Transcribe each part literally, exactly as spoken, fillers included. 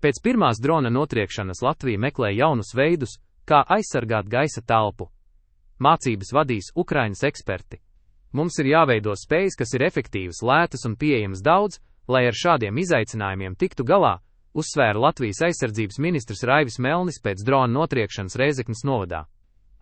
Pēc pirmās drona notriekšanas Latvija meklē jaunus veidus, kā aizsargāt gaisa telpu. Mācības vadīs Ukrainas eksperti. Mums ir jāveido spējas, kas ir efektīvas, lētas un pieejamas daudz, lai ar šādiem izaicinājumiem tiktu galā, uzsvēra Latvijas aizsardzības ministrs Raivis Melnis pēc drona notriekšanas Rēzeknes novadā.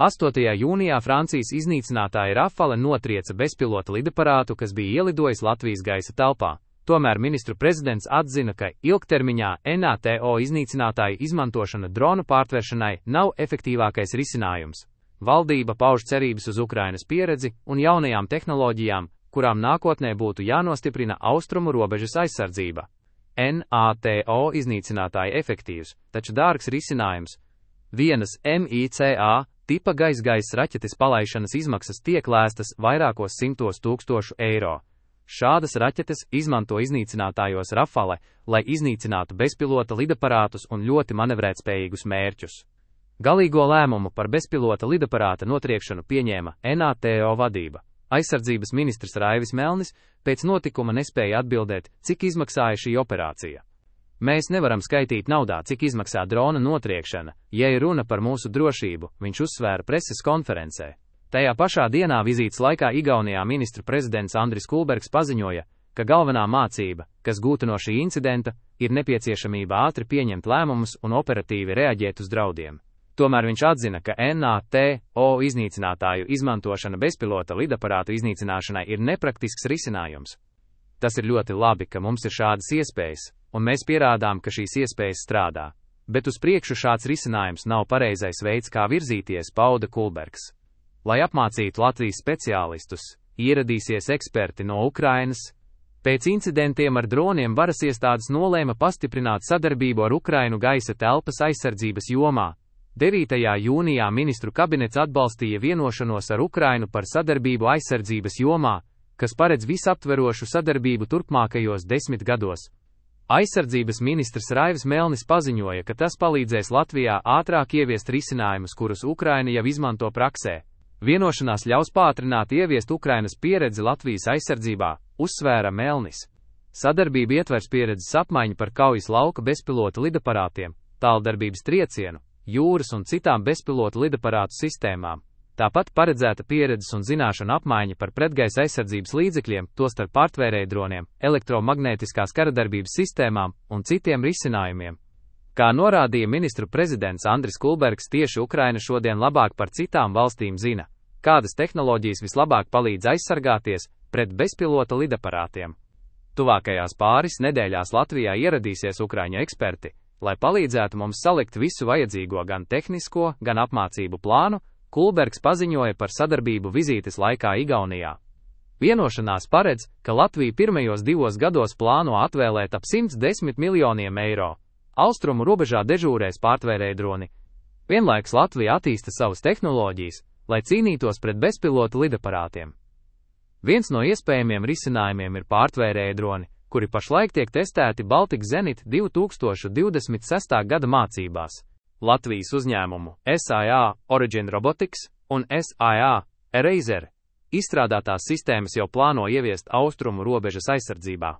astotajā jūnijā Francijas iznīcinātāja Rafale notrieca bezpilota lidaparātu, kas bija ielidojis Latvijas gaisa telpā. Tomēr ministru prezidents atzina, ka ilgtermiņā NATO iznīcinātāju izmantošana dronu pārtveršanai nav efektīvākais risinājums. Valdība pauž cerības uz Ukrainas pieredzi un jaunajām tehnoloģijām, kurām nākotnē būtu jānostiprina austrumu robežas aizsardzība. NATO iznīcinātāji efektīvs, taču dārgs risinājums. Vienas MICA tipa gaisa-gaisa raķetes palaišanas izmaksas tiek lēstas vairākos simtos tūkstošu eiro. Šādas raķetes izmanto iznīcinātājos Rafale, lai iznīcinātu bezpilota lidaparātus un ļoti manevrētspējīgus mērķus. Galīgo lēmumu par bezpilota lidaparāta notriekšanu pieņēma NATO vadība. Aizsardzības ministrs Raivis Melnis pēc notikuma nespēja atbildēt, cik izmaksāja šī operācija. Mēs nevaram skaitīt naudā, cik izmaksā drona notriekšana, ja ir runa par mūsu drošību, viņš uzsvēra preses konferencē. Tajā pašā dienā vizītes laikā Igaunijā ministru prezidents Andris Kulbergs paziņoja, ka galvenā mācība, kas gūta no šī incidenta, ir nepieciešamība ātri pieņemt lēmumus un operatīvi reaģēt uz draudiem. Tomēr viņš atzina, ka NATO iznīcinātāju izmantošana bezpilota lidaparātu iznīcināšanai ir nepraktisks risinājums. Tas ir ļoti labi, ka mums ir šādas iespējas, un mēs pierādām, ka šīs iespējas strādā. Bet uz priekšu šāds risinājums nav pareizais veids, kā virzīties, pauda Kulbergs. Lai apmācītu Latvijas speciālistus, ieradīsies eksperti no Ukrainas. Pēc incidentiem ar droniem varas iestādes nolēma pastiprināt sadarbību ar Ukrainu gaisa telpas aizsardzības jomā. devītajā jūnijā ministru kabinets atbalstīja vienošanos ar Ukrainu par sadarbību aizsardzības jomā, kas paredz visaptverošu sadarbību turpmākajos desmit gados. Aizsardzības ministrs Raivis Melnis paziņoja, ka tas palīdzēs Latvijā ātrāk ieviest risinājumus, kurus Ukraina jau izmanto praksē. Vienošanās ļaus pātrināt ieviest Ukrainas pieredzi Latvijas aizsardzībā, uzsvēra Melnis. Sadarbība ietvers pieredzes apmaiņu par kaujas lauka bezpilota lidaparātiem, tāldarbības triecienu, jūras un citām bezpilota lidaparātu sistēmām. Tāpat paredzēta pieredzes un zināšanu apmaiņa par pretgaisa aizsardzības līdzekļiem, tostarp pārtvērēju droniem, elektromagnētiskās karadarbības sistēmām un citiem risinājumiem. Kā norādīja ministru prezidents Andris Kulbergs, tieši Ukraina šodien labāk par citām valstīm zina, kādas tehnoloģijas vislabāk palīdz aizsargāties pret bezpilota lidaparātiem. Tuvākajās pāris nedēļās Latvijā ieradīsies Ukraiņu eksperti, lai palīdzētu mums salikt visu vajadzīgo gan tehnisko, gan apmācību plānu. Kulbergs paziņoja par sadarbību vizītes laikā Igaunijā. Vienošanās paredz, ka Latvija pirmajos divos gados plāno atvēlēt ap simts desmit miljoniem eiro. Austrumu robežā dežūrēs pārtvērēju droni. Vienlaikus Latvija attīsta savas tehnoloģijas, lai cīnītos pret bezpilota lidaparātiem. Viens no iespējamiem risinājumiem ir pārtvērēju droni, kuri pašlaik tiek testēti Baltic Zenit divi tūkstoši divdesmit sestā gada mācībās. Latvijas uzņēmumu S I A Origin Robotics un S I A Eraser izstrādātās sistēmas jau plāno ieviest austrumu robežas aizsardzībā.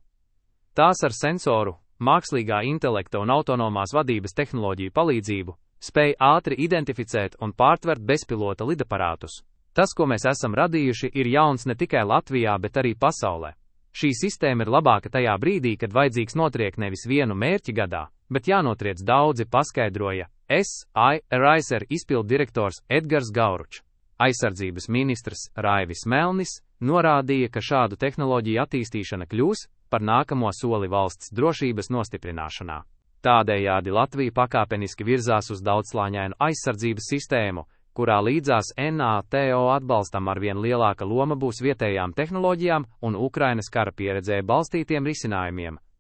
Tās ar sensoru, mākslīgā intelekta un autonomās vadības tehnoloģiju palīdzību spēj ātri identificēt un pārtvert bezpilota lidaparātus. Tas, ko mēs esam radījuši, ir jauns ne tikai Latvijā, bet arī pasaulē. Šī sistēma ir labāka tajā brīdī, kad vajadzīgs notriekt nevis vienu mērķi gadā, bet jānotriec daudzi, paskaidroja S I A Eraser izpildu direktors Edgars Gauručs. Aizsardzības ministrs Raivis Melnis norādīja, ka šādu tehnoloģiju attīstīšana kļūs par nākamo soli valsts drošības nostiprināšanā. Tādējādi Latvija pakāpeniski virzās uz daudzslāņainu aizsardzības sistēmu, kurā līdzās NATO atbalstam arvien lielāka loma būs vietējām tehnoloģijām un Ukrainas kara pieredzē balstītiem risinājumiem,